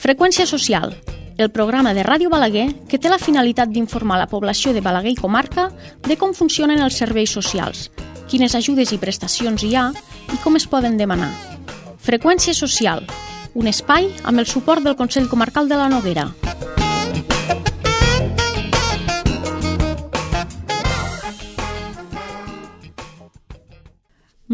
Freqüència social, el programa de Ràdio Balaguer que té la finalitat d'informar la població de Balaguer i comarca de com funcionen els serveis socials, quines ajudes i prestacions hi ha i com es poden demanar. Freqüència social, un espai amb el suport del Consell Comarcal de la Noguera.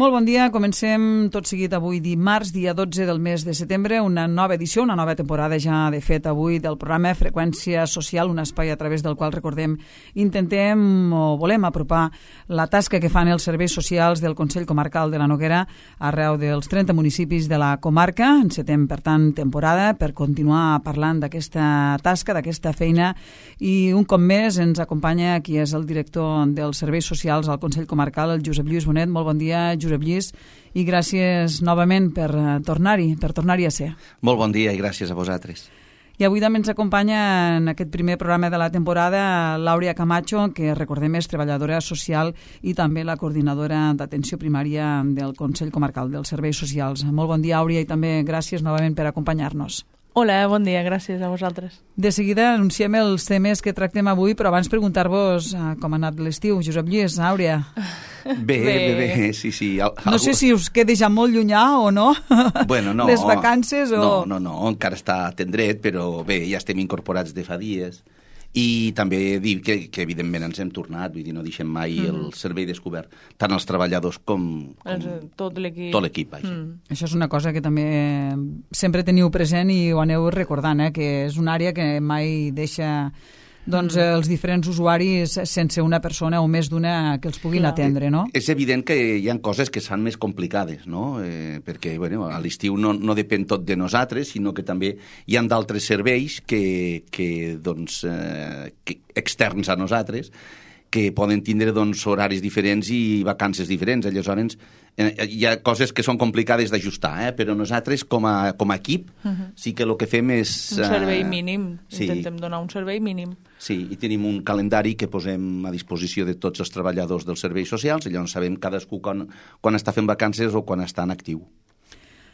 Molt bon dia, comencem tot seguit avui dimarts, dia 12 del mes de setembre, una nova edició, una nova temporada ja de fet avui del programa Freqüència Social, un espai a través del qual, recordem, intentem o volem apropar la tasca que fan els serveis socials del Consell Comarcal de la Noguera arreu dels 30 municipis de la comarca. Encetem, per tant, temporada per continuar parlant d'aquesta tasca, d'aquesta feina, i un cop més ens acompanya qui és el director dels serveis socials al Consell Comarcal, el Josep Lluís Bonet. Molt bon dia, Josep Lluís, i gràcies novament per tornar-hi a ser. Molt bon dia i gràcies a vosaltres. I avui també ens acompanya en aquest primer programa de la temporada l'Àurea Camacho, que recordem és treballadora social i també la coordinadora d'atenció primària del Consell Comarcal dels Serveis Socials. Molt bon dia, Àurea, i també gràcies novament per acompanyar-nos. Hola, bon dia, gràcies a vosaltres. De seguida anunciem els temes que tractem avui, però abans preguntar-vos com ha anat l'estiu. Josep Lluís, Àurea. Bé, sí. No sé si us queda ja molt llunyà o no, bueno, no, les vacances o... No, encara està tendret, però bé, ja estem incorporats de fa dies. I també dir que evidentment ens hem tornat, vull dir, no deixem mai el servei descobert, tant els treballadors com tot l'equip. Tot l'equip, Això és una cosa que també sempre teniu present i ho aneu recordant, que és una àrea que mai deixa els diferents usuaris sense una persona o més d'una que els puguin atendre, no? És evident que hi ha coses que són més complicades, no? Perquè a l'estiu no depèn tot de nosaltres, sinó que també hi ha d'altres serveis que externs a nosaltres, que poden tindre horaris diferents i vacances diferents. Aleshores, hi ha coses que són complicades d'ajustar, però nosaltres, com a equip, sí que el que fem és... Un servei mínim. Intentem donar un servei mínim. Sí, i tenim un calendari que posem a disposició de tots els treballadors dels serveis socials, i llavors sabem cadascú quan està fent vacances o quan està en actiu.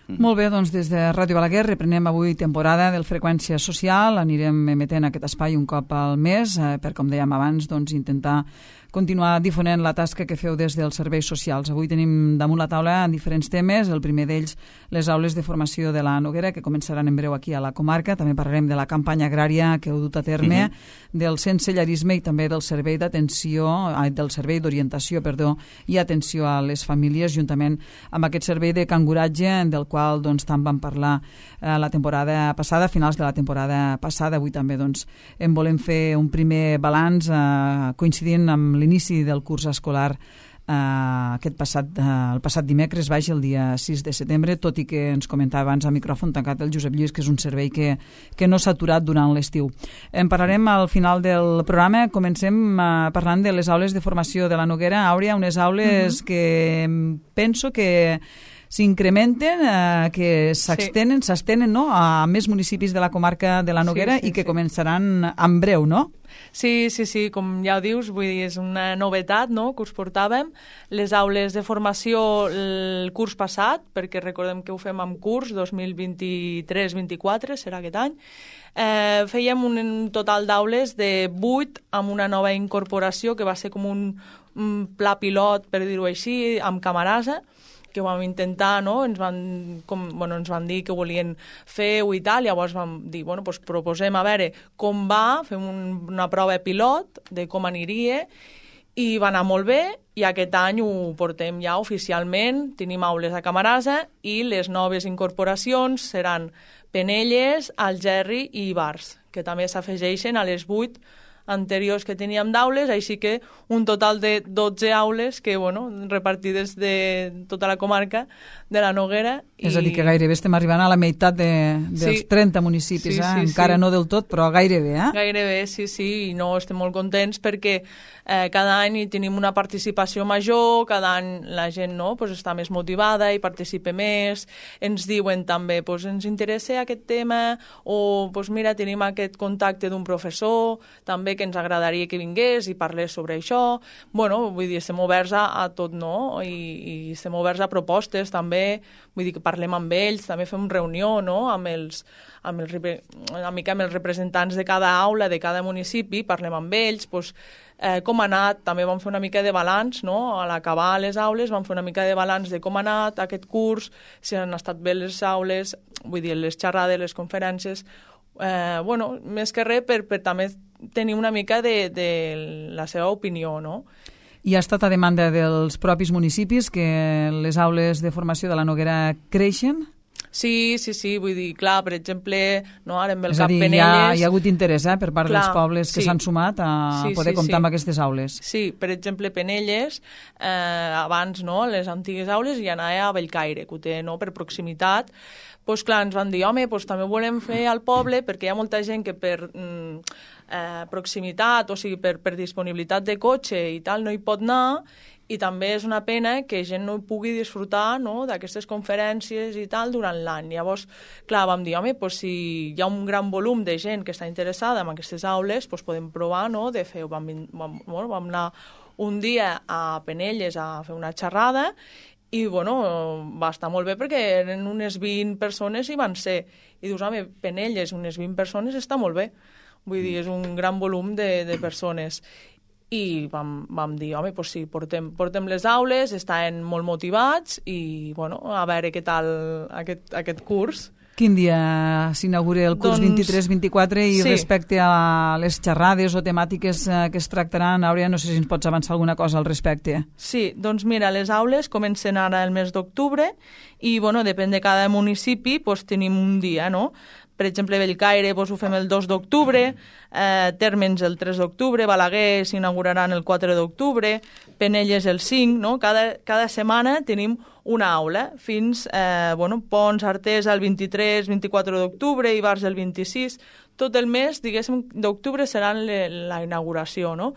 Molt bé, doncs des de Ràdio Balaguer reprenem avui temporada del Freqüència Social. Anirem emetent aquest espai un cop al mes per, com dèiem abans, intentar continuar difonent la tasca que feu des dels serveis socials. Avui tenim damunt la taula diferents temes. El primer d'ells, les aules de formació de la Noguera, que començaran en breu aquí a la comarca. També parlarem de la campanya agrària que heu dut a terme, del sensellarisme i també del servei d'orientació i atenció a les famílies, juntament amb aquest servei de canguratge del qual tant vam parlar la temporada passada, a finals de la temporada passada. Avui també en volem fer un primer balanç coincidint amb l'inici del curs escolar el passat dimecres, el dia 6 de setembre, tot i que ens comentava abans a micròfon tancat el Josep Lluís que és un servei que no s'ha aturat durant l'estiu. En parlarem al final del programa. Comencem parlant de les aules de formació de la Noguera. Àurea, unes aules que penso que s'incrementen, que s'estenen a més municipis de la comarca de la Noguera i que començaran en breu, no? Sí, com ja ho dius, vull dir, és una novetat, no?, que us portàvem. Les aules de formació el curs passat, perquè recordem que ho fem amb curs 2023-24, serà aquest any, fèiem un total d'aules de 8 amb una nova incorporació que va ser com un pla pilot, per dir-ho així, amb Camarasa, que ho vam intentar, no? Ens van dir que volien fer-ho i tal, llavors vam dir, proposem a veure com va, fem una prova pilot de com aniria, i va anar molt bé, i aquest any ho portem ja oficialment, tenim aules a Camarasa, i les noves incorporacions seran Penelles, Algerri i Ibars, que també s'afegeixen a les 8 anteriors que teníem d'aules, així que un total de 12 aules que, repartides de tota la comarca de la Noguera. És a dir, que gairebé estem arribant a la meitat dels 30 municipis, encara no del tot, però gairebé, Gairebé, sí, i no estem molt contents perquè cada any tenim una participació major, cada any la gent està més motivada i participa més, ens diuen també, ens interessa aquest tema, o mira, tenim aquest contacte d'un professor, també que ens agradaria que vingués i parlés sobre això. Bueno, vull dir, estem oberts a tot, no? I estem oberts a propostes també, vull dir que parlem amb ells, també fem reunió, no?, amb els representants de cada aula, de cada municipi, parlem amb ells, doncs, com ha anat, també vam fer una mica de balanç, no? A l'acabar les aules vam fer una mica de balanç de com ha anat aquest curs, si han estat bé les aules, vull dir, les xerrades, les conferències, bueno, més que res per també tenir una mica de la seva opinió, no? I ha estat a demanda dels propis municipis que les aules de formació de la Noguera creixen? Sí, vull dir, clar, per exemple, no, ara amb el Cap Penelles... Penelles... Hi ha hagut interès per part dels pobles que s'han sumat a poder comptar amb aquestes aules. Sí, per exemple, Penelles, abans, no, les antigues aules hi anava a Bellcaire, que ho té, no, per proximitat. Doncs clar, ens van dir, home, doncs també ho volem fer al poble perquè hi ha molta gent que per proximitat, o sigui, per disponibilitat de cotxe i tal, no hi pot anar, i també és una pena que gent no pugui disfrutar, no, d'aquestes conferències i tal durant l'any. Llavors, clar, vam dir, home, doncs si hi ha un gran volum de gent que està interessada en aquestes aules, doncs podem provar, no, de fer... Vam anar un dia a Penelles a fer una xerrada i, bueno, va estar molt bé perquè eren unes 20 persones i van ser. I dius, home, Penelles, unes 20 persones està molt bé. Vull dir, és un gran volum de persones. I vam dir, home, doncs sí, portem les aules, estaven molt motivats i, bueno, a veure què tal aquest curs. Quin dia s'inaugura el curs 23-24 i respecte a les xerrades o temàtiques que es tractaran, Àurea, no sé si ens pots avançar alguna cosa al respecte. Sí, doncs mira, les aules comencen ara el mes d'octubre i, bueno, depèn de cada municipi, doncs tenim un dia, no? Per exemple, Bellcaire doncs, ho fem el 2 d'octubre, Térmens el 3 d'octubre, Balaguer s'inauguraran el 4 d'octubre, Penelles el 5, no? Cada setmana tenim una aula, fins Pons, Artesa el 23-24 d'octubre, Ivars el 26, tot el mes, diguéssim, d'octubre serà la inauguració, no?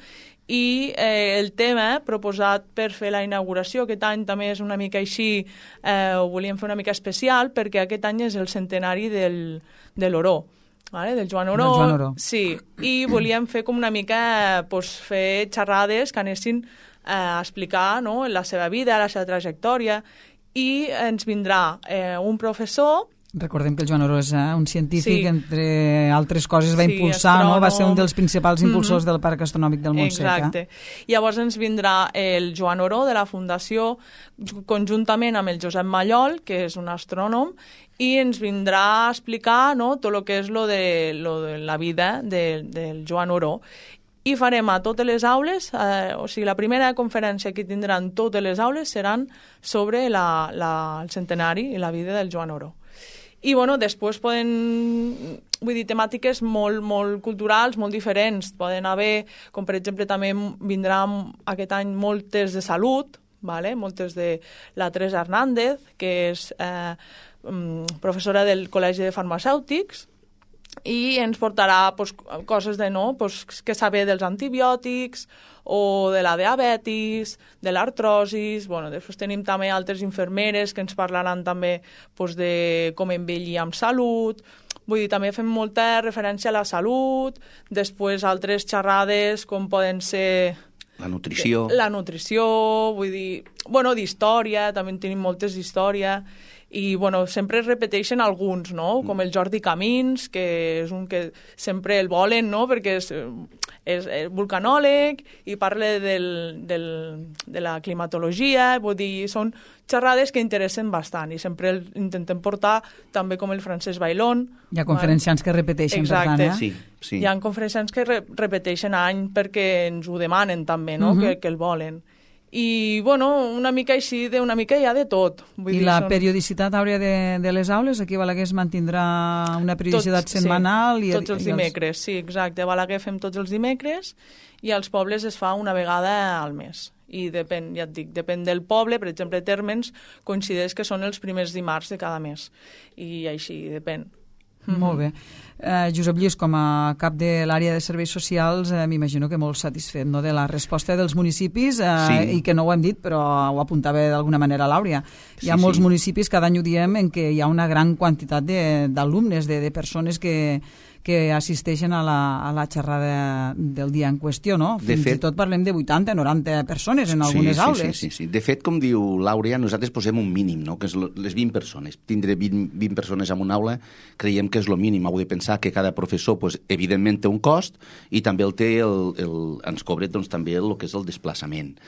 I el tema proposat per fer la inauguració aquest any també és una mica així, ho volíem fer una mica especial perquè aquest any és el centenari de l'Oró, vale? Del Joan Oró. Sí, i volíem fer com una mica fer xerrades que anessin a explicar, no?, la seva vida, la seva trajectòria, i ens vindrà un professor. Recordem que el Joan Oró és un científic, entre altres coses va impulsar, astrònom, no? Va ser un dels principals impulsors del Parc Astronòmic del Montsec. Exacte. Llavors ens vindrà el Joan Oró de la Fundació conjuntament amb el Josep Mallol, que és un astrònom, i ens vindrà a explicar, no?, tot el que és lo de la vida del Joan Oró. I farem a totes les aules, o sigui, la primera conferència que tindran totes les aules seran sobre el centenari i la vida del Joan Oró. I, bueno, després poden, vull dir, temàtiques molt culturals, molt diferents. Poden haver, com per exemple, també vindrà aquest any moltes de salut, vale? Moltes de la Teresa Hernández, que és professora del Col·legi de Farmacèutics, i ens portarà coses de què saber dels antibiòtics o de la diabetis, de l'artrosis. Bueno, després tenim també altres infermeres que ens parlaran també de com envellir amb salut. Vull dir, també fem molta referència a la salut, després altres xerrades com poden ser... La nutrició. La nutrició, vull dir... Bueno, d'història, també en tenim moltes d'història. I, bueno, sempre es repeteixen alguns, no? Com el Jordi Camins, que és un que sempre el volen, no?, perquè és vulcanòleg i parla de la climatologia, vull dir, són xerrades que interessen bastant i sempre intentem portar també com el Francesc Bailón. Hi ha conferenciants que repeteixen, exacte, per tant, Sí. Hi ha conferenciants que repeteixen any perquè ens ho demanen també, no?, que el volen. I, bueno, una mica així, una mica hi ha de tot. Vull dir, la periodicitat, Àurea, de les aules, aquí a Balaguer es mantindrà una periodicitat setmanal? Sí, tots els dimecres, sí, exacte. A Balaguer fem tots els dimecres i als pobles es fa una vegada al mes. I depèn, ja et dic, depèn del poble. Per exemple, Térmens coincideix que són els primers dimarts de cada mes. I així, depèn. Molt bé. Josep Lluís, com a cap de l'àrea de serveis socials, m'imagino que molt satisfet, no?, de la resposta dels municipis, i que no ho hem dit, però ho apuntava d'alguna manera l'Àurea. Hi ha molts municipis, cada any ho diem, en què hi ha una gran quantitat d'alumnes, de persones que que assisteixen a la xerrada del dia en qüestió, no? Fins i tot parlem de 80, 90 persones en algunes aules. Sí. De fet, com diu l'Àurea, nosaltres posem un mínim, no? Que és les 20 persones. Tindre 20 persones en una aula creiem que és el mínim. Heu de pensar que cada professor, pues, evidentment, té un cost i també el té ens cobra doncs, també el que és el desplaçament.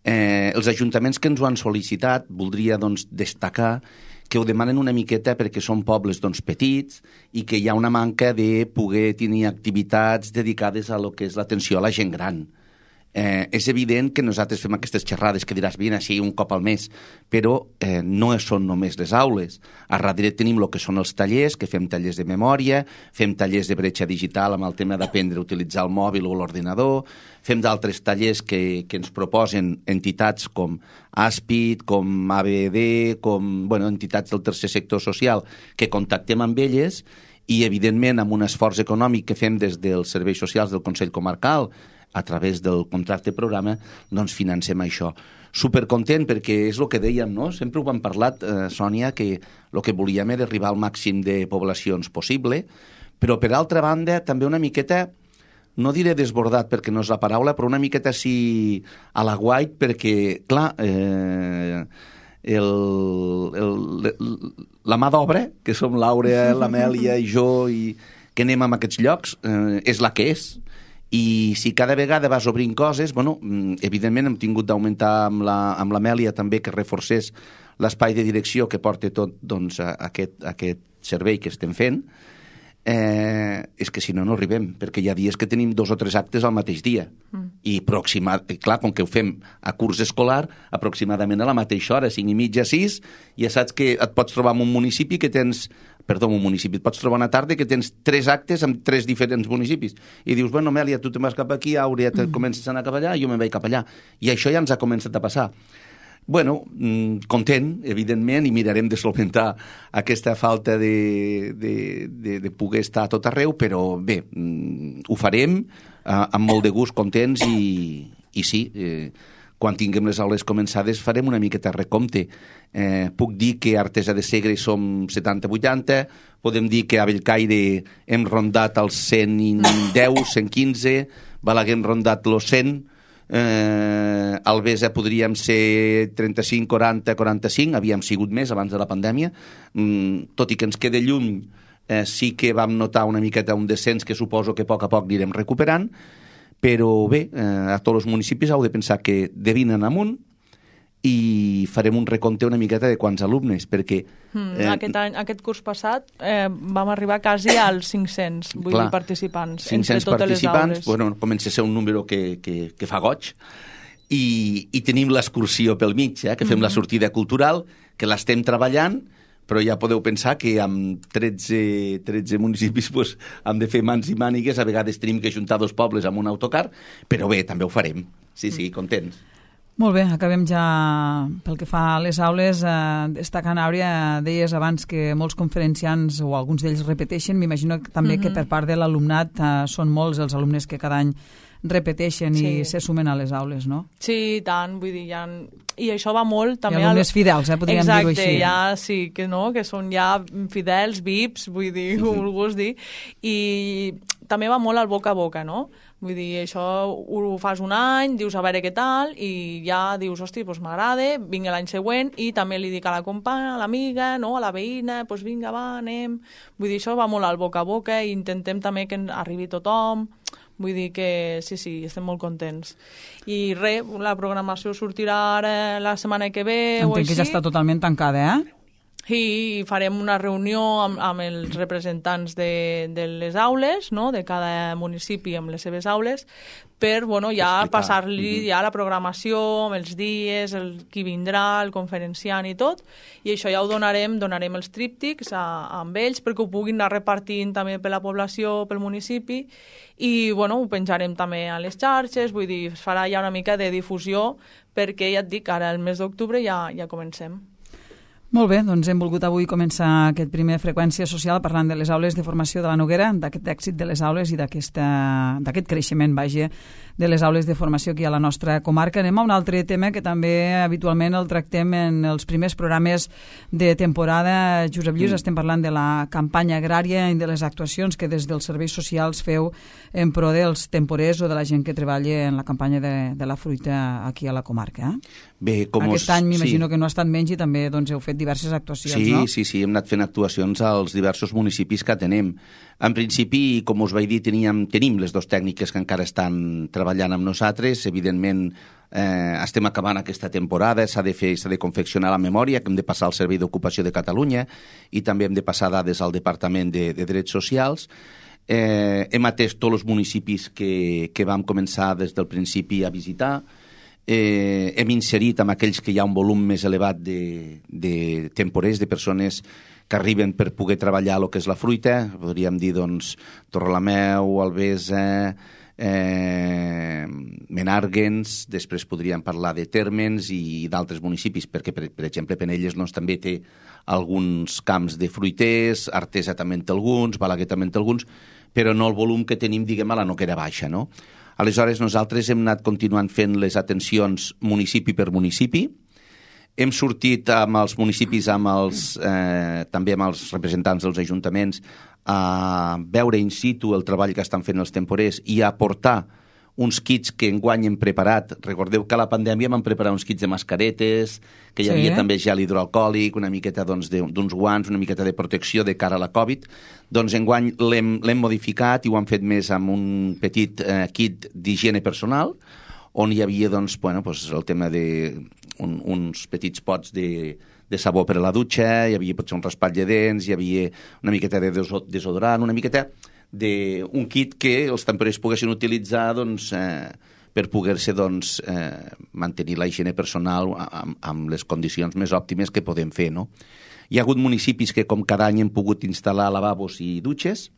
Els ajuntaments que ens ho han sol·licitat, voldria doncs, destacar que ho demanen una miqueta perquè són pobles doncs, petits i que hi ha una manca de poder tenir activitats dedicades a lo que és l'atenció a la gent gran. És evident que nosaltres fem aquestes xerrades que diràs, vine així un cop al mes, però no són només les aules. A darrere tenim el que són els tallers, que fem tallers de memòria, fem tallers de bretxa digital amb el tema d'aprendre a utilitzar el mòbil o l'ordinador, fem d'altres tallers que ens proposen entitats com Aspid, com ABD, com entitats del tercer sector social, que contactem amb elles i, evidentment, amb un esforç econòmic que fem des dels serveis socials del Consell Comarcal, a través del contracte programa, doncs financem això. Supercontent perquè és el que dèiem, no? Sempre ho hem parlat, Sònia, que el que volíem era arribar al màxim de poblacions possible, però per altra banda també una miqueta, no diré desbordat perquè no és la paraula, però una miqueta sí a la guait perquè, clar, la mà d'obra, que som l'Àurea, l'Amèlia i jo, i que anem a aquests llocs, és la que és. I si cada vegada vas obrint coses, evidentment hem tingut d'augmentar amb l'Amèlia també que reforcés l'espai de direcció que porta tot doncs, aquest servei que estem fent, és que si no arribem, perquè hi ha dies que tenim 2 o 3 actes al mateix dia. I clar, com que ho fem a curs escolar, aproximadament a la mateixa hora, 5:30, 6, ja saps que et pots trobar en un municipi que tens... et pots trobar una tarda que tens 3 actes amb 3 diferents municipis. I dius, Amèlia, tu te'n vas cap aquí, Àurea, comences a anar cap allà, jo me'n vaig cap allà. I això ja ens ha començat a passar. Content, evidentment, i mirarem de solventar aquesta falta de poder estar a tot arreu, però bé, ho farem amb molt de gust, contents i sí, quan tinguem les aules començades farem una miqueta recompte. Puc dir que a Artesa de Segre som 70-80, podem dir que a Bellcaire hem rondat els 110, 115, Balaguer hem rondat els 100, Albesa podríem ser 35, 40, 45, havíem sigut més abans de la pandèmia, tot i que ens queda lluny, sí que vam notar una miqueta un descens que suposo que a poc anirem recuperant, però bé, a tots els municipis heu de pensar que de 20 en amunt i farem un recompte una miqueta de quants alumnes, perquè... Aquest curs passat vam arribar quasi als 500 participants. 500 participants, comença a ser un número que fa goig, i tenim l'excursió pel mig, que fem la sortida cultural, que l'estem treballant, però ja podeu pensar que amb 13 municipis hem de fer mans i mànigues, a vegades tenim que juntar 2 pobles amb un autocar, però bé, també ho farem. Sí, contents. Molt bé, acabem ja pel que fa a les aules. Destacant, Àurea, deies abans que molts conferenciants o alguns d'ells repeteixen. M'imagino també que per part de l'alumnat són molts els alumnes que cada any repeteixen i se sumen a les aules, no? Sí, tant, vull dir, i això va molt també... I alumnes fidels, podríem dir-ho així. Exacte, ja sí, que són ja fidels, VIPs, vull dir, ho vulguis dir, i també va molt al boca a boca, no? Vull dir, això ho fas un any, dius a veure què tal, i ja dius, hosti, doncs m'agrada, vinga l'any següent, i també li dic a la companya, a l'amiga, no? A la veïna, doncs vinga, va, anem... Vull dir, això va molt al boca a boca, i intentem també que arribi tothom... Vull dir que sí, estem molt contents. I res, la programació sortirà ara la setmana que ve o així. Entenc que ja està totalment tancada, I farem una reunió amb els representants de les aules, no? De cada municipi amb les seves aules, per ja passar-li ja la programació, amb els dies, qui vindrà, el conferenciant i tot, i això ja ho donarem els tríptics amb ells perquè ho puguin anar repartint també per la població, pel municipi, i ho penjarem també a les xarxes, vull dir, es farà ja una mica de difusió perquè ja et dic, ara el mes d'octubre ja comencem. Molt bé, doncs hem volgut avui començar aquest primer Freqüència Social parlant de les aules de formació de la Noguera, d'aquest èxit de les aules i d'aquest creixement, de les aules de formació aquí a la nostra comarca. Anem a un altre tema que també habitualment el tractem en els primers programes de temporada. Josep Lluís, estem parlant de la campanya agrària i de les actuacions que des dels serveis socials feu en pro dels temporers o de la gent que treballa en la campanya de la fruita aquí a la comarca. Bé, Aquest any m'imagino que no ha estat menys i també heu fet diverses actuacions, no? Sí, hem anat fent actuacions als diversos municipis que tenem. En principi, com us vaig dir, tenim les dues tècniques que encara estan treballant amb nosaltres. Evidentment, estem acabant aquesta temporada, s'ha de confeccionar la memòria, que hem de passar al Servei d'Ocupació de Catalunya i també hem de passar dades al Departament de Drets Socials. Hem atès tots els municipis que vam començar des del principi a visitar. Hem inserit amb aquells que hi ha un volum més elevat de temporers, de persones que arriben per poder treballar el que és la fruita. Podríem dir, doncs, Torrelameu, Albesa, Menàrguens, després podríem parlar de Térmens i d'altres municipis, perquè, per exemple, Penelles també té alguns camps de fruiters, Artesa també en té alguns, Balaguer també en té alguns, però no el volum que tenim, diguem, a la Noguera Baixa, no? Aleshores, nosaltres hem anat continuant fent les atencions municipi per municipi. Hem sortit amb els municipis, també amb els representants dels ajuntaments, a veure in situ el treball que estan fent els temporers i a aportar uns kits que enguany hem preparat. Recordeu que a la pandèmia vam preparar uns kits de mascaretes, que hi havia també gel hidroalcohòlic, una miqueta d'uns guants, una miqueta de protecció de cara a la Covid. Doncs enguany l'hem modificat i ho han fet més amb un petit kit d'higiene personal, on hi havia el tema d'uns petits pots de sabó per a la dutxa, hi havia potser un raspall de dents, hi havia una miqueta de desodorant, una miqueta d'un kit que els temporers poguessin utilitzar per poder-se mantenir la higiene personal amb les condicions més òptimes que podem fer, no? Hi ha hagut municipis que, com cada any, hem pogut instal·lar lavabos i dutxes.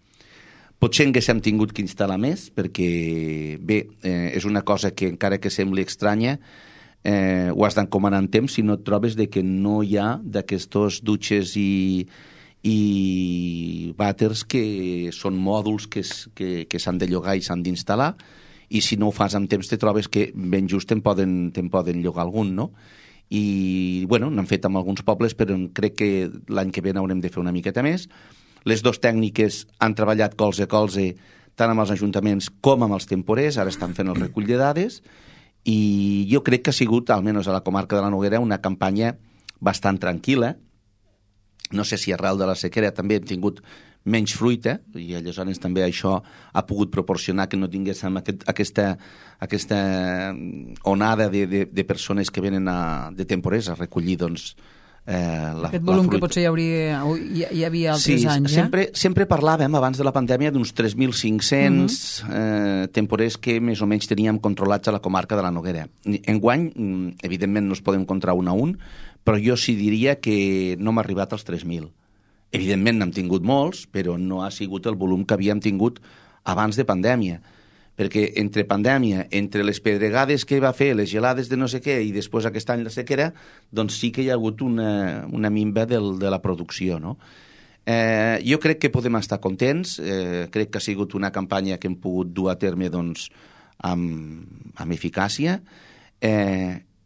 Potser haguéssim tingut que instal·lar més, perquè, bé, és una cosa que, encara que sembli estranya, ho has d'encomanar en temps si no et trobes que no hi ha d'aquestos dutxes i vàters que són mòduls que s'han de llogar i s'han d'instal·lar, i si no ho fas amb temps te trobes que ben just te'n poden llogar algun, no? I, bueno, n'han fet amb alguns pobles, però crec que l'any que ve n'haurem de fer una miqueta més. Les dues tècniques han treballat colze a colze tant amb els ajuntaments com amb els temporers, ara estan fent el recull de dades, i jo crec que ha sigut, almenys a la comarca de la Noguera, una campanya bastant tranquil·la. No sé si arrel de la sequera també hem tingut menys fruita, i aleshores també això ha pogut proporcionar que no tinguéssim aquesta onada de persones que venen de temporers a recollir aquest volum que potser hi havia altres anys. Sempre parlàvem abans de la pandèmia d'uns 3.500 temporers que més o menys teníem controlats a la comarca de la Noguera. Enguany, evidentment, no es podem comptar un a un, però jo sí diria que no hem arribat als 3.000. Evidentment n'hem tingut molts, però no ha sigut el volum que havíem tingut abans de pandèmia. Perquè entre pandèmia, entre les pedregades que va fer, les gelades de no sé què, i després aquest any la sequera, doncs sí que hi ha hagut una minva de la producció, no? Jo crec que podem estar contents, crec que ha sigut una campanya que hem pogut dur a terme amb eficàcia.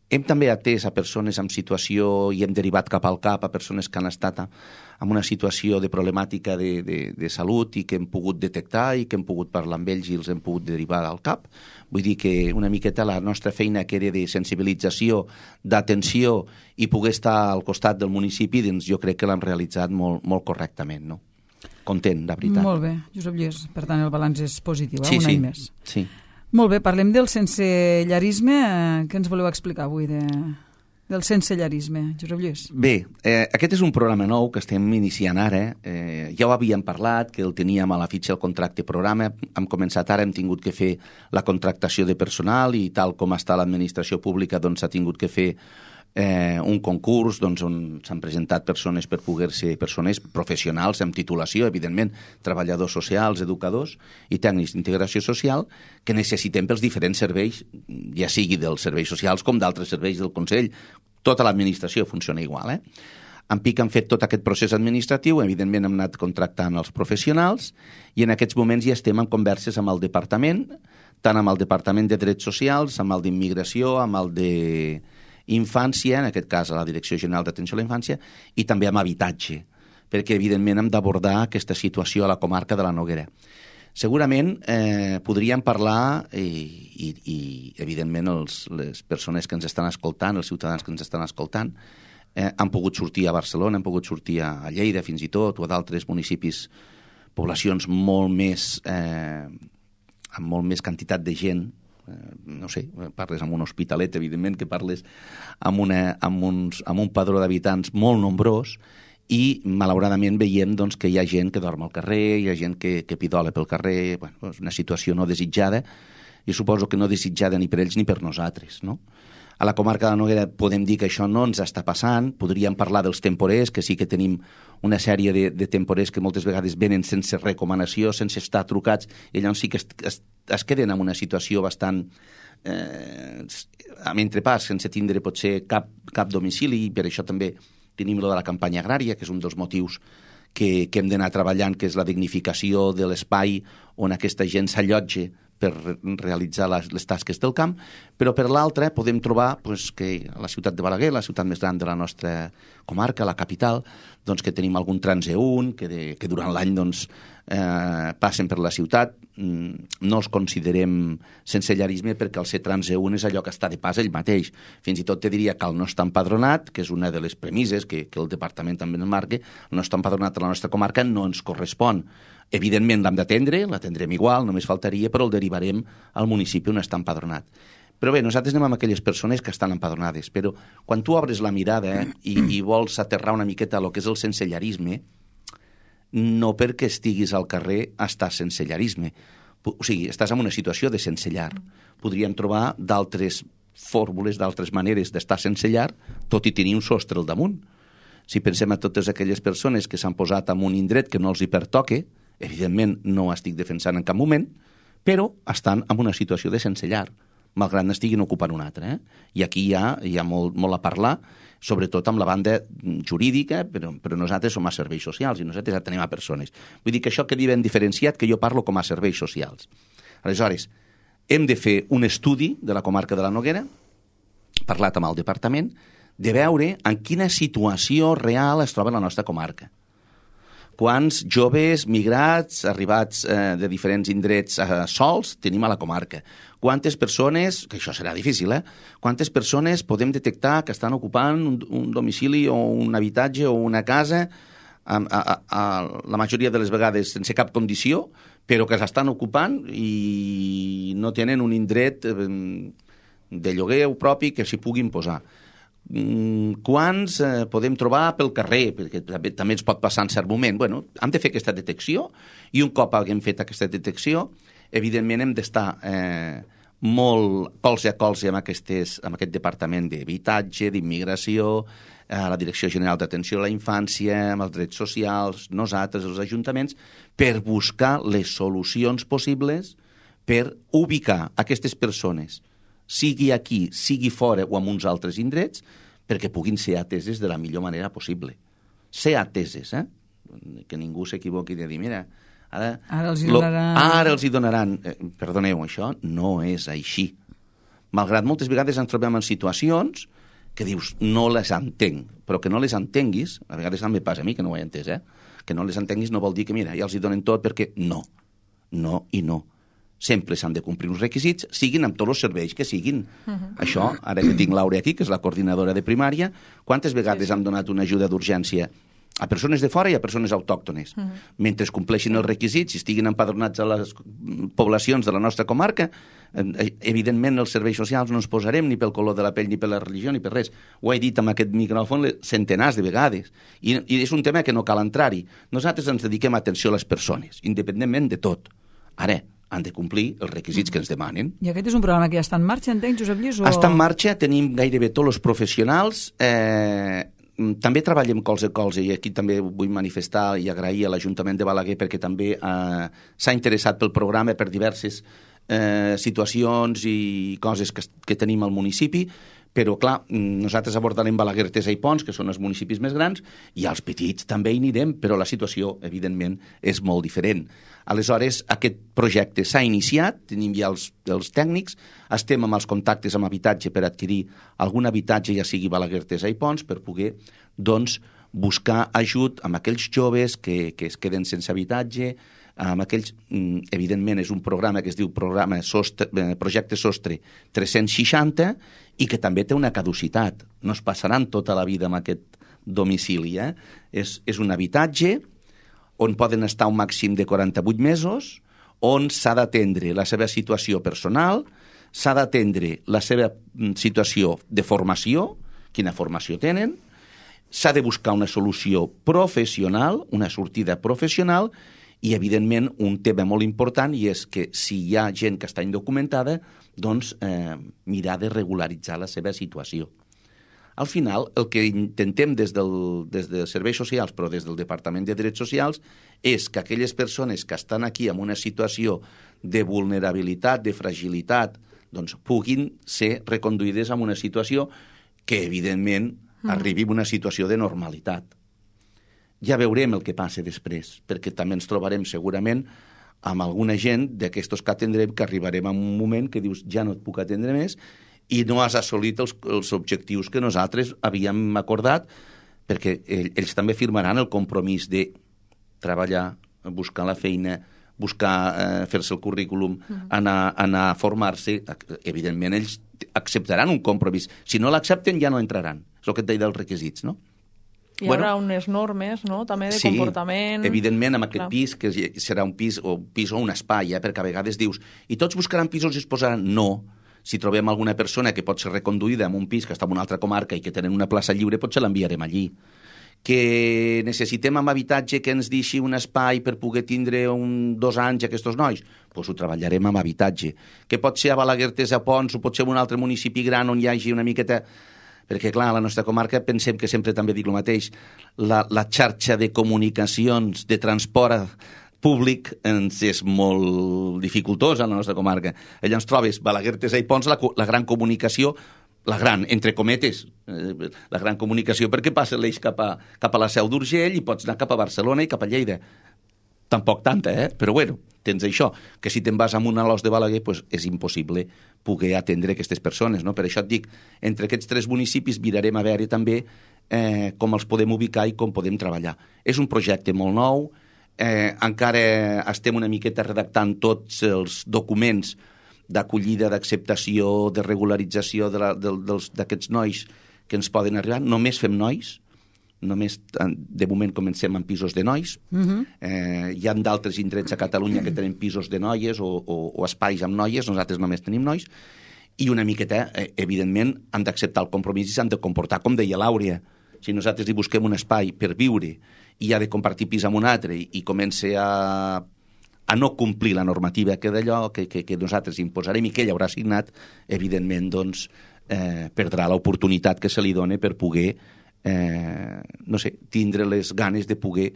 Hem també atès a persones en situació i hem derivat cap al CAP a persones que han estat en una situació de problemàtica de salut i que hem pogut detectar i que hem pogut parlar amb ells i els hem pogut derivar al CAP. Vull dir que una miqueta la nostra feina que era de sensibilització, d'atenció i poder estar al costat del municipi, doncs jo crec que l'hem realitzat molt, molt correctament, no? Content, de veritat. Molt bé, Josep Lluís. Per tant, el balanç és positiu, un any més. Sí. Molt bé, parlem del sensellarisme. Què ens voleu explicar avui del sensellarisme, Josep Lluís? Bé, aquest és un programa nou que estem iniciant ara. Ja ho havíem parlat, que el teníem a la fitxa del contracte programa. Hem començat ara, hem tingut que fer la contractació de personal i tal com està l'administració pública, doncs s'ha tingut que fer un concurs on s'han presentat persones per poder-se, persones professionals amb titulació, evidentment, treballadors socials, educadors i tècnics d'integració social que necessitem pels diferents serveis, ja sigui dels serveis socials com d'altres serveis del Consell. Tota l'administració funciona igual, En PIC han fet tot aquest procés administratiu, evidentment hem anat contractant els professionals i en aquests moments ja estem en converses amb el departament, tant amb el Departament de Drets Socials, amb el d'Immigració, amb el d'Infància, en aquest cas a la Direcció General d'Atenció a la Infància, i també amb Habitatge, perquè evidentment hem d'abordar aquesta situació a la comarca de la Noguera. Segurament podríem parlar i evidentment les persones que ens estan escoltant, els ciutadans que ens estan escoltant, han pogut sortir a Barcelona, han pogut sortir a Lleida fins i tot, o a d'altres municipis, poblacions molt més, amb molt més quantitat de gent, no sé, parles amb un hospitalet, evidentment, que parles amb un padró d'habitants molt nombrós, i malauradament veiem doncs, que hi ha gent que dorm al carrer, hi ha gent que pidola pel carrer, bueno, és una situació no desitjada, i suposo que no desitjada ni per ells ni per nosaltres, no? A la comarca de la Noguera podem dir que això no ens està passant, podríem parlar dels temporers, que sí que tenim una sèrie de temporers que moltes vegades venen sense recomanació, sense estar trucats, i llavors sí que es queden en una situació bastant amb entrepàs, sense tindre potser cap domicili, i per això també tenim lo de la campanya agrària, que és un dels motius que hem d'anar treballant, que és la dignificació de l'espai on aquesta gent s'allotja per realitzar les tasques del camp, però per l'altra podem trobar que a la ciutat de Balaguer, la ciutat més gran de la nostra comarca, la capital, doncs que tenim algun transeünt que durant l'any passen per la ciutat. No els considerem sensellarisme perquè el ser transeünt és allò que està de pas ell mateix. Fins i tot te diria que el no està empadronat, que és una de les premisses que el departament també ens marca, el no està empadronat a la nostra comarca no ens correspon. Evidentment l'hem d'atendre, l'atendrem igual, només faltaria, però el derivarem al municipi on està empadronat. Però bé, nosaltres anem amb aquelles persones que estan empadronades, però quan tu obres la mirada i vols aterrar una miqueta el que és el sensellarisme, no perquè estiguis al carrer estàs sensellarisme. O sigui, estàs en una situació de sense llar. Podríem trobar d'altres fórmules, d'altres maneres d'estar sense llar, tot i tenir un sostre al damunt. Si pensem a totes aquelles persones que s'han posat en un indret que no els hi pertoque, evidentment no estic defensant en cap moment, però estan en una situació de sense llar, malgrat n'estiguin ocupant una altra. I aquí hi ha molt a parlar, sobretot amb la banda jurídica, però nosaltres som a serveis socials i nosaltres atenem a persones. Vull dir que això quedi ben diferenciat, que jo parlo com a serveis socials. Aleshores, hem de fer un estudi de la comarca de la Noguera, parlat amb el departament, de veure en quina situació real es troba la nostra comarca. Quants joves migrats, arribats de diferents indrets sols, tenim a la comarca? Quantes persones, que això serà difícil, quantes persones podem detectar que estan ocupant un domicili o un habitatge o una casa, la majoria de les vegades sense cap condició, però que s'estan ocupant i no tenen un indret de lloguer propi que s'hi puguin posar? Quants podem trobar pel carrer, perquè també ens pot passar en cert moment. Bueno, hem de fer aquesta detecció i un cop haguem fet aquesta detecció, evidentment hem d'estar molt colze a colze amb aquest departament d'habitatge, d'immigració, la Direcció General d'Atenció a la Infància, amb els drets socials, nosaltres, els ajuntaments, per buscar les solucions possibles per ubicar aquestes persones, sigui aquí, sigui fora o en uns altres indrets, perquè puguin ser ateses de la millor manera possible. Ser ateses, que ningú s'equivoqui de dir, mira, ara els hi donaran. Perdoneu, això no és així. Malgrat moltes vegades ens trobem en situacions que dius, no les entenc, però que no les entenguis, a vegades també passa a mi que no ho he entès, que no les entenguis no vol dir que, mira, ja els hi donen tot, perquè no i no. Sempre s'han de complir uns requisits, siguin amb tots els serveis que siguin. Això, ara que tinc Laura aquí, que és la coordinadora de primària, quantes vegades hem donat una ajuda d'urgència a persones de fora i a persones autòctones? Mentre compleixin els requisits i estiguin empadronats a les poblacions de la nostra comarca, evidentment els serveis socials no ens posarem ni pel color de la pell, ni per la religió, ni per res. Ho he dit amb aquest micròfon centenars de vegades. I és un tema que no cal entrar-hi. Nosaltres ens dediquem a atenció a les persones, independentment de tot. Ara, han de complir els requisits que ens demanen. I aquest és un programa que ja està en marxa, entenc, Josep Lluís? Està en marxa, tenim gairebé tots els professionals. També treballem colze a colze, i aquí també vull manifestar i agrair a l'Ajuntament de Balaguer perquè també s'ha interessat pel programa per diverses situacions i coses que tenim al municipi, Però, clar, nosaltres abordarem Balaguer, Tesa i Pons, que són els municipis més grans, i als petits també hi anirem, però la situació, evidentment, és molt diferent. Aleshores, aquest projecte s'ha iniciat, tenim ja els tècnics, estem amb els contactes amb habitatge per adquirir algun habitatge, ja sigui Balaguer, Tesa i Pons, per poder, doncs, buscar ajut amb aquells joves que es queden sense habitatge, amb aquells, evidentment, és un programa que es diu Projecte Sostre 360 i que també té una caducitat. No es passaran tota la vida en aquest domicili. És un habitatge on poden estar un màxim de 48 mesos, on s'ha d'atendre la seva situació personal, s'ha d'atendre la seva situació de formació, quina formació tenen, s'ha de buscar una solució professional, una sortida professional, i, evidentment, un tema molt important i és que si hi ha gent que està indocumentada, doncs mirar de regularitzar la seva situació. Al final, el que intentem des dels serveis socials, però des del Departament de Drets Socials, és que aquelles persones que estan aquí en una situació de vulnerabilitat, de fragilitat, doncs puguin ser reconduïdes a una situació que, evidentment, arribi a una situació de normalitat. Ja veurem el que passa després, perquè també ens trobarem segurament amb alguna gent d'aquestos que atendrem que arribarem a un moment que dius ja no et puc atendre més i no has assolit els objectius que nosaltres havíem acordat, perquè ells també firmaran el compromís de treballar, buscar la feina, buscar fer-se el currículum, anar a formar-se. Evidentment, ells acceptaran un compromís. Si no l'accepten, ja no entraran. És el que et deia dels requisits, no? Hi haurà unes normes, no?, també de comportament. Sí, evidentment, amb aquest pis, que serà un pis o un espai, perquè a vegades dius, i tots buscaran pisos i es posaran... No. Si trobem alguna persona que pot ser reconduïda en un pis que està en una altra comarca i que tenen una plaça lliure, potser l'enviarem allí. Que necessitem amb habitatge que ens deixi un espai per poder tindre 2 anys aquests nois, doncs ho treballarem amb habitatge. Que pot ser a Balaguer, Tesa, Pons, o pot ser en un altre municipi gran on hi hagi una miqueta... Perquè, clar, a la nostra comarca pensem que sempre també dic el mateix, la xarxa de comunicacions, de transport públic ens és molt dificultosa a la nostra comarca. Allà ens trobes Balaguer, Tesa i Pons, la gran comunicació, la gran, entre cometes, la gran comunicació, perquè passa l'eix cap a la Seu d'Urgell i pots anar cap a Barcelona i cap a Lleida. Tampoc tanta, però bueno, tens això, que si te'n vas a un alòs de Balaguer doncs és impossible poder atendre aquestes persones, no? Per això et dic, entre aquests 3 municipis mirarem a veure també com els podem ubicar i com podem treballar. És un projecte molt nou, encara estem una miqueta redactant tots els documents d'acollida, d'acceptació, de regularització d'aquests nois que ens poden arribar. Només fem nois, només de moment comencem amb pisos de nois. Hi ha d'altres indrets a Catalunya que tenen pisos de noies o espais amb noies, nosaltres només tenim nois, i una miqueta, evidentment, han d'acceptar el compromís i s'han de comportar, com deia l'Àurea. Si nosaltres hi busquem un espai per viure i ha de compartir pis amb un altre i comença a no complir la normativa que d'allò que nosaltres imposarem i que ell haurà assignat, evidentment, doncs, perdrà l'oportunitat que se li dona per poder no sé, tindre les ganes de poder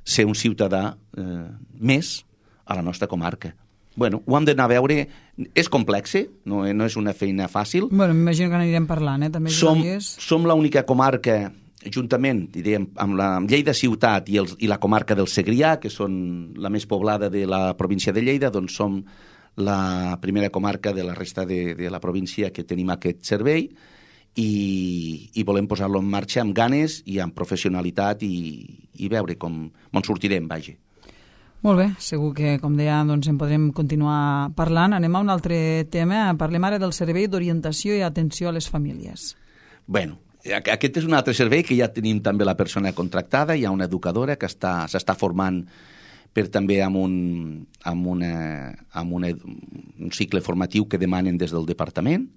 ser un ciutadà més a la nostra comarca. Bueno, ho hem d'anar a veure. És complex, no és una feina fàcil. Bueno, m'imagino que n'anirem parlant, també. Som l'única comarca, juntament, diríem, amb Lleida ciutat i la comarca del Segrià, que són la més poblada de la província de Lleida, doncs som la primera comarca de la resta de la província que tenim aquest servei, i volem posar-lo en marxa amb ganes i amb professionalitat i veure com en sortirem, vaja. Molt bé, segur que, com deia, doncs en podrem continuar parlant. Anem a un altre tema. Parlem ara del servei d'orientació i atenció a les famílies. Bueno, aquest és un altre servei que ja tenim també la persona contractada. Hi ha una educadora que s'està formant també amb un cicle formatiu que demanen des del departament,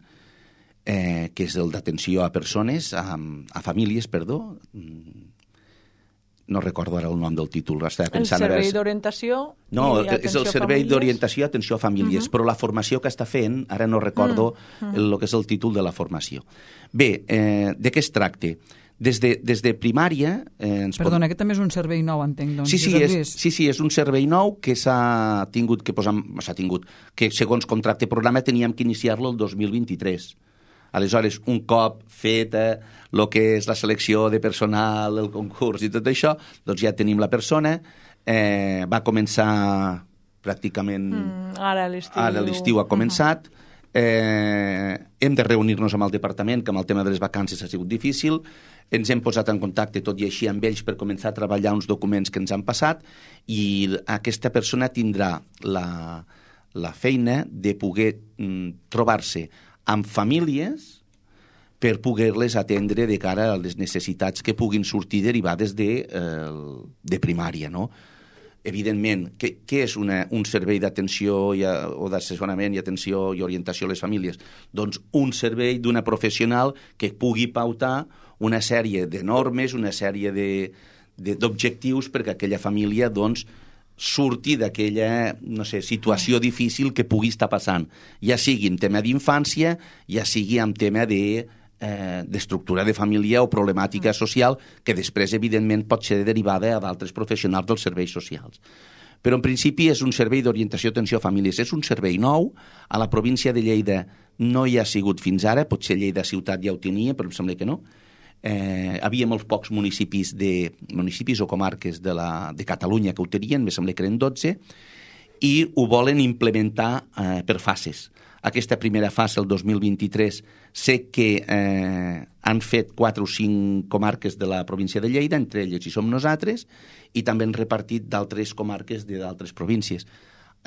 que és el d'atenció a persones, a famílies, perdó. No recordo ara el nom del títol. El servei d'orientació i no, atenció a famílies. No, és el servei d'orientació i atenció a famílies, però la formació que està fent, ara no recordo el que és el títol de la formació. Bé, de què es tracta? Des de primària... Perdona, aquest també és un servei nou, entenc. Doncs. Sí, és un servei nou que s'ha tingut que posar... que segons contracte programa teníem que iniciar-lo el 2023. Aleshores, un cop feta el que és la selecció de personal, el concurs i tot això, doncs ja tenim la persona. Va començar pràcticament... Ara l'estiu ha començat. Hem de reunir-nos amb el departament, que amb el tema de les vacances ha sigut difícil. Ens hem posat en contacte tot i així amb ells per començar a treballar uns documents que ens han passat, i aquesta persona tindrà la feina de poder trobar-se amb famílies per poder-les atendre de cara a les necessitats que puguin sortir derivades de primària, no? Evidentment, què és un servei d'atenció o d'assessorament i atenció i orientació a les famílies? Doncs un servei d'una professional que pugui pautar una sèrie de normes, una sèrie d'objectius perquè aquella família doncs, surti d'aquella situació difícil que pugui estar passant, ja sigui en tema d'infància, ja sigui en tema d'estructura de família o problemàtica social, que després, evidentment, pot ser derivada a d'altres professionals dels serveis socials. Però, en principi, és un servei d'orientació i atenció a famílies. És un servei nou. A la província de Lleida no hi ha sigut fins ara, potser Lleida ciutat ja ho tenia, però em sembla que no. Havia molts pocs municipis o comarques de Catalunya que ho tenien, me sembla que eren 12, i ho volen implementar per fases. Aquesta primera fase, el 2023, sé que han fet 4 o 5 comarques de la província de Lleida, entre elles hi som nosaltres, i també han repartit d'altres comarques d'altres províncies.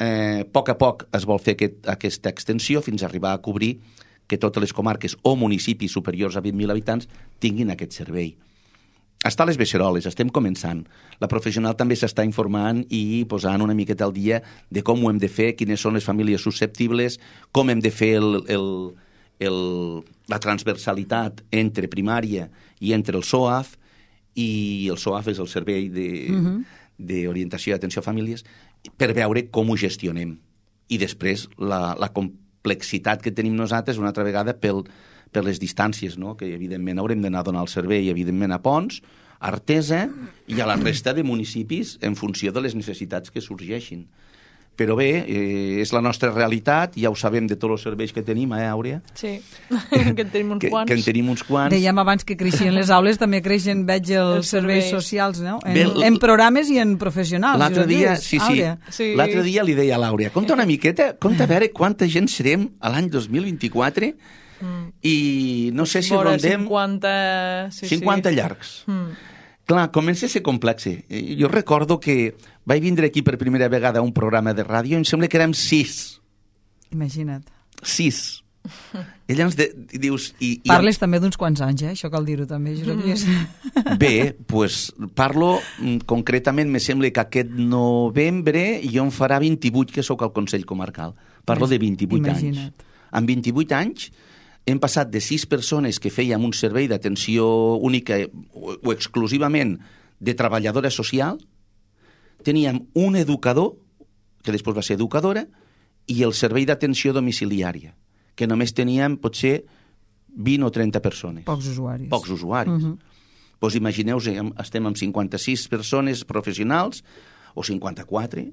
A poc es vol fer aquesta extensió fins a arribar a cobrir que totes les comarques o municipis superiors a 20.000 habitants tinguin aquest servei. Està a les beceroles, estem començant. La professional també s'està informant i posant una miqueta al dia de com ho hem de fer, quines són les famílies susceptibles, com hem de fer la transversalitat entre primària i entre el SOAF, i el SOAF és el Servei d'Orientació i Atenció a Famílies, per veure com ho gestionem. I després la complexitat que tenim nosaltres una altra vegada per les distàncies, no? Que evidentment haurem d'anar a donar el servei, evidentment a Ponts, a Artesa i a la resta de municipis en funció de les necessitats que sorgeixin. Però bé, és la nostra realitat, ja ho sabem de tots els serveis que tenim, Àurea? Sí, que en tenim uns quants. Que en tenim uns quants. Dèiem abans que creixien les aules, també creixen, veig, els serveis socials, no? En programes i en professionals. L'altre dia, sí. L'altre dia li deia a l'Àurea, compta una miqueta, compta a veure quanta gent serem a l'any 2024 i no sé si rondem 50 llargs. Clar, comença a ser complex. Jo recordo que vaig vindre aquí per primera vegada a un programa de ràdio i em sembla que érem 6. Imagina't. 6. I llavors dius... Parles també d'uns quants anys, això cal dir-ho també, Josep. Bé, doncs parlo concretament, me sembla que aquest novembre jo em farà 28 que sóc al Consell Comarcal. Parlo de 28 anys. Amb 28 anys hem passat de 6 persones que fèiem un servei d'atenció única o exclusivament de treballadora social, teníem un educador, que després va ser educadora, i el servei d'atenció domiciliària, que només teníem potser 20 o 30 persones. Pocs usuaris. Doncs imagineu-vos, estem amb 56 persones professionals, o 54,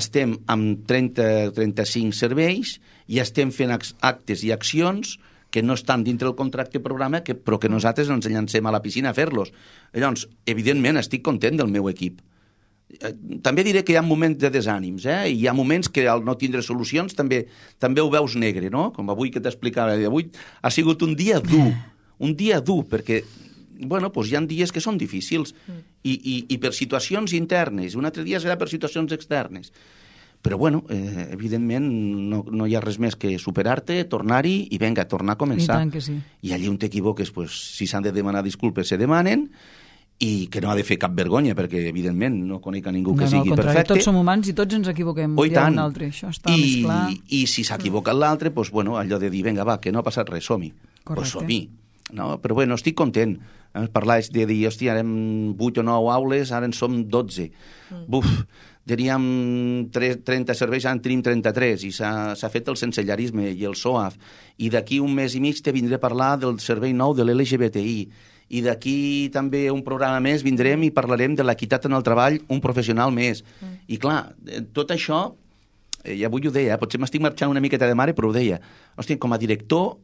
estem amb 30-35 serveis i estem fent actes i accions que no estan dintre del contracte programa, però que nosaltres ens llancem a la piscina a fer-los. Llavors, evidentment, estic content del meu equip. També diré que hi ha moments de desànims, i hi ha moments que al no tindre solucions també ho veus negre, no? Com avui que t'explicava. Avui ha sigut un dia dur, perquè doncs hi ha dies que són difícils i per situacions internes, un altre dia serà per situacions externes. Però, evidentment, no hi ha res més que superar-te, tornar-hi i vinga, tornar a començar. I tant que sí. I allí on t'equivoques, si s'han de demanar disculpes, se demanen, i que no ha de fer cap vergonya, perquè, evidentment, no conec a ningú que sigui perfecte. Tots som humans i tots ens equivoquem. Tant. Això està més clar. I si s'ha equivocat l'altre, allò de dir, vinga, va, que no ha passat res, som-hi. Doncs som-hi. No? Però, estic content. Parlaves de dir, hòstia, érem 8 o 9 aules, ara en som 12. Teníem 30 serveis, ara en tenim 33, i s'ha fet el sensellarisme i el SOAF, i d'aquí un mes i mig te vindré a parlar del servei nou de l'LGBTI, i d'aquí també un programa més vindrem i parlarem de l'equitat en el treball, un professional més. I clar, tot això i avui ho deia, potser m'estic marxant una miqueta de mare, però ho deia, hòstia, com a director,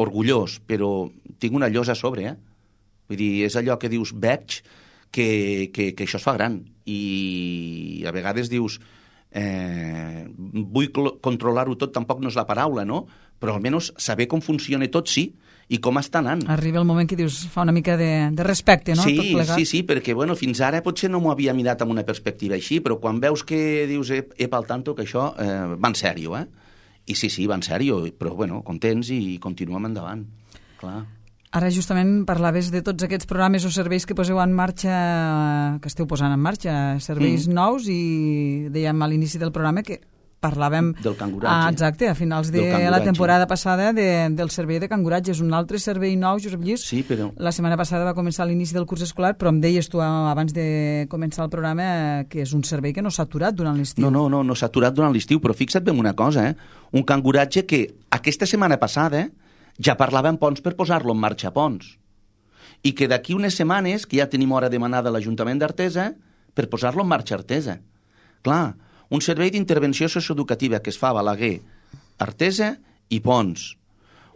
orgullós, però tinc una llosa a sobre, Vull dir, és allò que dius, veig que això es fa gran, i a vegades dius, vull controlar-ho tot, tampoc no és la paraula, no? Però almenys saber com funciona tot, sí, i com està anant. Arriba el moment que dius, fa una mica de respecte, no? Sí, tot plegat. sí, perquè bueno, fins ara potser no m'ho havia mirat amb una perspectiva així, però quan veus que dius, al tanto, que això va en sèrio, I sí, va en sèrio, però bueno, contents i continuem endavant, clar. Ara justament parlaves de tots aquests programes o serveis que poseu en marxa, que esteu posant en marxa, serveis nous, i dèiem a l'inici del programa que parlàvem del canguratge. Exacte, a finals de la temporada passada del servei de canguratge. És un altre servei nou, Josep Lluís. Sí, però... La setmana passada va començar l'inici del curs escolar, però em deies tu abans de començar el programa que és un servei que no s'ha aturat durant l'estiu. No s'ha aturat durant l'estiu, però fixa't bé en una cosa, un canguratge que aquesta setmana passada ja parlàvem Ponts per posar-lo en marxa a Ponts, i que d'aquí unes setmanes, que ja tenim hora demanada a l'Ajuntament d'Artesa, per posar-lo en marxa a Artesa. Clar, un servei d'intervenció socioeducativa que es fa a Balaguer, Artesa i Ponts.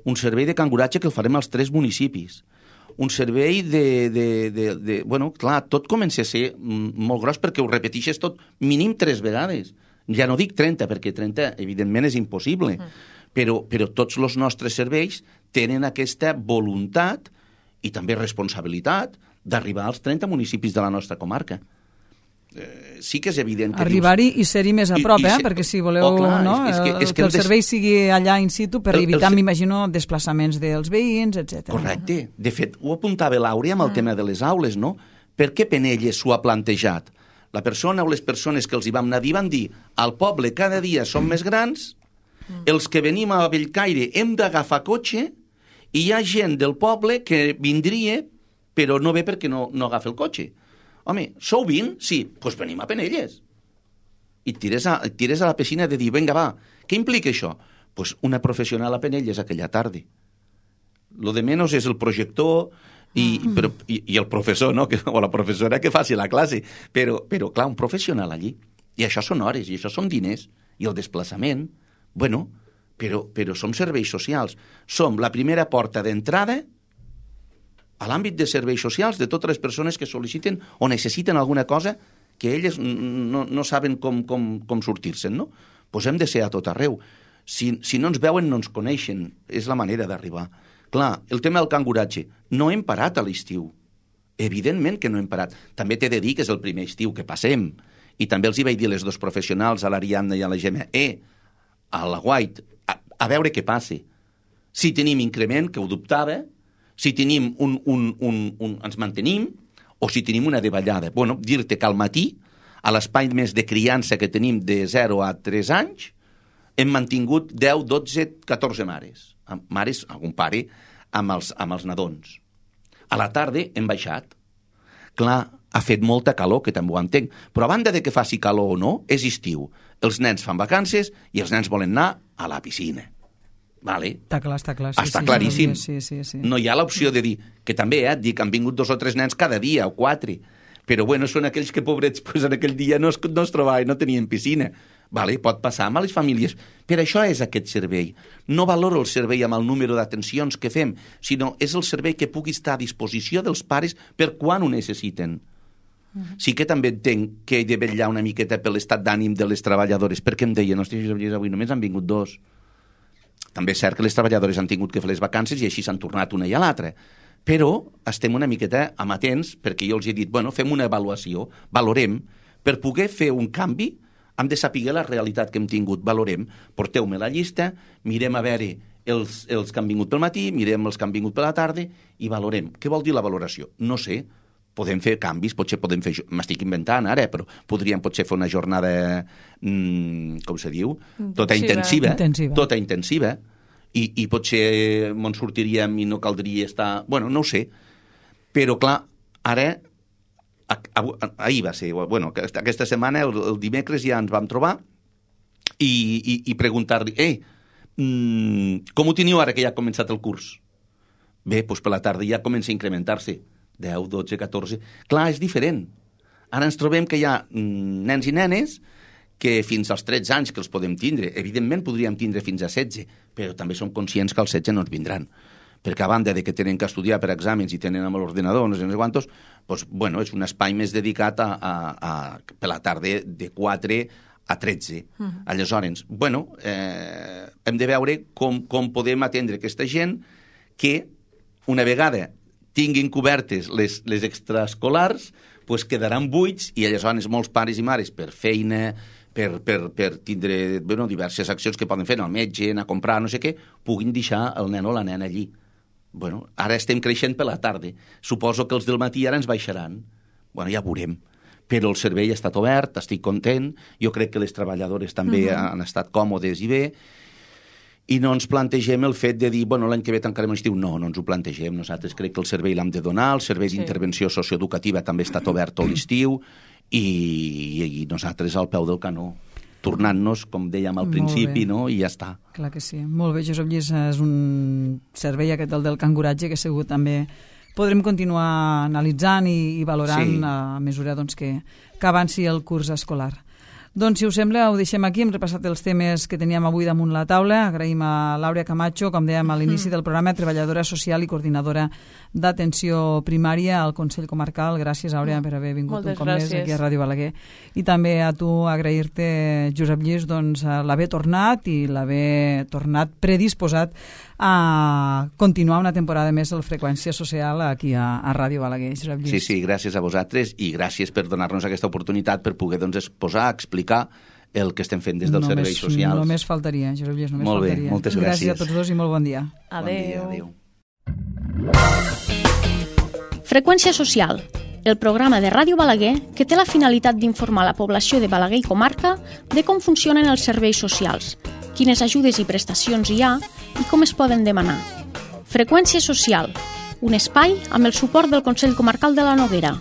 Un servei de canguratge que el farem als 3 municipis. Un servei bueno, clar, tot comença a ser molt gros perquè ho repeteixes tot mínim 3 vegades. Ja no dic 30, perquè 30 evidentment és impossible, però tots els nostres serveis tenen aquesta voluntat i també responsabilitat d'arribar als 30 municipis de la nostra comarca. Sí que és evident que arribar-hi i ser-hi més a prop, perquè si voleu que el servei sigui allà in situ per evitar, m'imagino, desplaçaments dels veïns, etc. Correcte. De fet, ho apuntava l'Àurea amb el tema de les aules, no? Per què Penelles s'ho ha plantejat? La persona o les persones que els hi vam anar a dir van dir al poble cada dia som més grans, els que venim a Bellcaire hem d'agafar cotxe i hi ha gent del poble que vindria però no ve perquè no agafa el cotxe. Home, sou 20? Sí, doncs venim a Penelles. I et tires a la piscina de dir, vinga, va, què implica això? Doncs una professional a Penelles aquella tarda. Lo de menys és el projector i el professor, no? O la professora que faci la classe. Però, clar, un professional allí. I això són hores, i això són diners. I el desplaçament. Bueno, però som serveis socials. Som la primera porta d'entrada a l'àmbit de serveis socials de totes les persones que sol·liciten o necessiten alguna cosa que elles no saben com sortir-se'n, no? Doncs hem de ser a tot arreu. Si no ens veuen, no ens coneixen. És la manera d'arribar. Clar, el tema del canguratge. No hem parat a l'estiu. Evidentment que no hem parat. També t'he de dir que és el primer estiu que passem. I també els hi vaig dir a les 2 professionals, a l'Ariadna i a la Gemma, a la White, a veure què passa. Si tenim increment, que ho dubtava, si tenim ens mantenim, o si tenim una davallada. Bueno, dir-te que al matí, a l'espai més de criança que tenim de 0 a 3 anys, hem mantingut 10, 12, 14 mares. Mares, algun pare, amb els nadons. A la tarda hem baixat. Clar, ha fet molta calor, que també ho entenc, però a banda de que faci calor o no, és estiu. Els nens fan vacances i els nens volen anar a la piscina. Vale. Està clar. Està claríssim. Sí. No hi ha l'opció de dir, que també et dic, han vingut 2 o 3 nens cada dia, o 4, però bueno, són aquells que, pobrets, pues, en aquell dia no es trobaven, no tenien piscina. Vale, pot passar amb les famílies. Per això és aquest servei. No valoro el servei amb el número d'atencions que fem, sinó és el servei que pugui estar a disposició dels pares per quan ho necessiten. Sí que també entenc que he de vetllar una miqueta per l'estat d'ànim de les treballadores, perquè em deien, hòstia, Josep Lluís, avui només han vingut 2. També és cert que les treballadores han tingut que fer les vacances i així s'han tornat una i a l'altra. Però estem una miqueta amatents, perquè jo els he dit, bueno, fem una avaluació, valorem, per poder fer un canvi, hem de saber la realitat que hem tingut, valorem, porteu-me la llista, mirem a veure els que han vingut pel matí, mirem els que han vingut per la tarda i valorem. Què vol dir la valoració? No sé, podem fer canvis, potser podem fer... M'estic inventant ara, però podríem potser fer una jornada, com se diu? Tota intensiva. I potser ens sortiríem i no caldria estar... Bueno, no ho sé. Però, clar, ara... Ahir va ser... Bueno, aquesta setmana, el dimecres, ja ens vam trobar i preguntar-li com ho teniu ara que ja ha començat el curs? Bé, doncs per la tarda ja comença a incrementar-se. 10, 12, 14... Clar, és diferent. Ara ens trobem que hi ha nens i nenes que fins als 13 anys que els podem tindre. Evidentment podríem tindre fins a 16, però també som conscients que als 16 no ens vindran. Perquè a banda de que tenen que estudiar per exàmens i tenen amb l'ordenador, no sé quantos, doncs, bueno, és un espai més dedicat per la tarda de 4 a 13. Aleshores, bueno, hem de veure com podem atendre aquesta gent que, una vegada tinguin cobertes les extraescolars, pues quedaran buits i aleshores molts pares i mares per feina, per tindre diverses accions que poden fer, anar al metge, anar a comprar, no sé què, puguin deixar el nen o la nena allí. Bueno, ara estem creixent per la tarda. Suposo que els del matí ara ens baixaran. Bueno, ja veurem. Però el servei ha estat obert, estic content, jo crec que les treballadores també han estat còmodes i bé, i no ens plantegem el fet de dir, bueno, l'any que ve tancarem l'estiu. No ens ho plantegem. Nosaltres crec que el servei l'hem de donar, el servei d'intervenció socioeducativa també ha estat obert tot l'estiu, i nosaltres al peu del canó, tornant-nos, com dèiem al principi, no? I ja està. Clar que sí. Molt bé, Josep Lluís, és un servei aquest del canguratge que segur també podrem continuar analitzant i valorant a mesura doncs, que avanci el curs escolar. Doncs, si us sembla, ho deixem aquí. Hem repassat els temes que teníem avui damunt la taula. Agraïm a L'Àurea Camacho, com dèiem a l'inici del programa, treballadora social i coordinadora d'atenció primària al Consell Comarcal. Gràcies, Àurea, per haver vingut un cop més aquí a Ràdio Balaguer. I també a tu agrair-te, Josep Lluís, doncs, l'haver tornat i l'haver tornat predisposat a continuar una temporada més el Freqüència Social aquí a Ràdio Balaguer. Josep Lluís. Sí, gràcies a vosaltres i gràcies per donar-nos aquesta oportunitat per poder exposar, explicar el que estem fent des dels serveis socials. Només faltaria, Josep Lluís, només faltaria. Molt bé, moltes gràcies. Gràcies a tots dos i molt bon dia. Adéu. Freqüència Social, el programa de Ràdio Balaguer que té la finalitat d'informar la població de Balaguer i comarca de com funcionen els serveis socials, quines ajudes i prestacions hi ha i com es poden demanar. Freqüència Social, un espai amb el suport del Consell Comarcal de la Noguera.